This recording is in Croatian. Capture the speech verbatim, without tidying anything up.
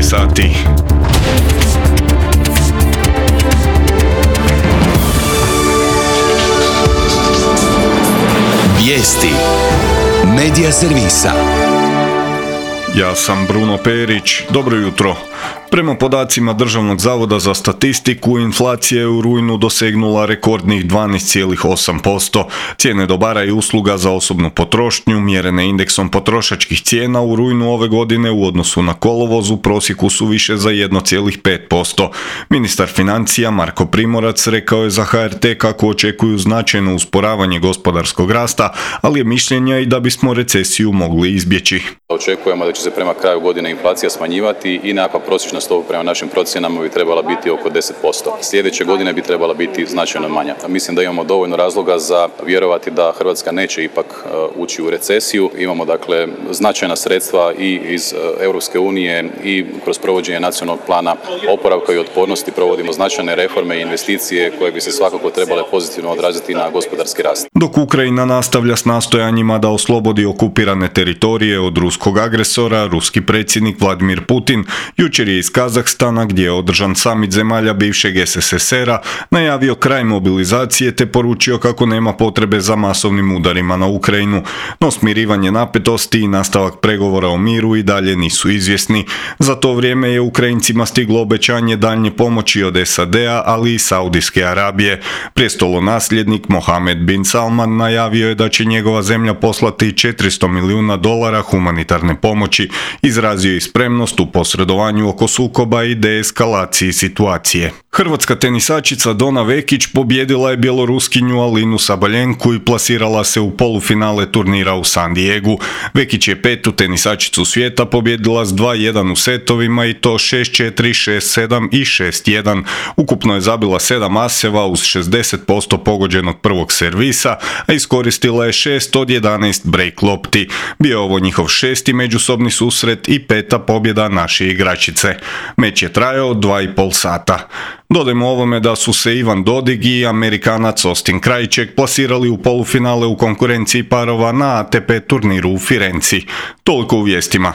šesnaest sati. Vijesti Medija servisa. Ja sam Bruno Perić, dobro jutro. Prema podacima Državnog zavoda za statistiku, inflacija je u rujnu dosegnula rekordnih dvanaest zarez osam posto. Cijene dobara i usluga za osobnu potrošnju, mjerene indeksom potrošačkih cijena u rujnu ove godine u odnosu na kolovoz u prosjeku su više za jedan zarez pet posto. Ministar financija Marko Primorac rekao je za H R T kako očekuju značajno usporavanje gospodarskog rasta, ali je mišljenja i da bismo recesiju mogli izbjeći. Očekujemo da će se prema kraju godine inflacija smanjivati i nekakva prosječna stopa prema našim procjenama bi trebala biti oko deset posto. Sljedeće godine bi trebala biti značajno manja. Mislim da imamo dovoljno razloga za vjerovati da Hrvatska neće ipak ući u recesiju. Imamo dakle značajna sredstva i iz Europske unije i kroz provođenje nacionalnog plana oporavka i otpornosti provodimo značajne reforme i investicije koje bi se svakako trebale pozitivno odraziti na gospodarski rast. Dok Ukrajina nastavlja s nastojanjima da oslobodi okupirane teritorije od ruskog agresora, ruski predsjednik Vladimir Putin jučer je iz Kazahstana, gdje je održan samit zemalja bivšeg S S S R-a, najavio kraj mobilizacije te poručio kako nema potrebe za masovnim udarima na Ukrajinu. No smirivanje napetosti i nastavak pregovora o miru i dalje nisu izvjesni. Za to vrijeme je Ukrajincima stiglo obećanje daljnje pomoći od S A D-a, ali i Saudijske Arabije. Prijestolonasljednik Mohamed bin Salman najavio je da će njegova zemlja poslati četiristo milijuna dolara humanitarne pomoći. Izrazio je spremnost u posredovanju oko sukoba i deeskalaciji situacije. Hrvatska tenisačica Dona Vekić pobijedila je bjeloruskinju Alinu Sabaljenku i plasirala se u polufinale turnira u San Diegu. Vekić je petu tenisačicu svijeta pobijedila s dva jedan u setovima i to šest četiri, šest sedam i šest jedan. Ukupno je zabila sedam aseva uz šezdeset posto pogođenog prvog servisa, a iskoristila je šest od jedanaest break lopti. Bio je ovo njihov šesti međusobni susret i peta pobjeda naše igračice. Meč je trajao dva i pol sata. Dodajmo ovome da su se Ivan Dodig i Amerikanac Austin Krajček plasirali u polufinale u konkurenciji parova na A T P turniru u Firenci. Toliko u vijestima.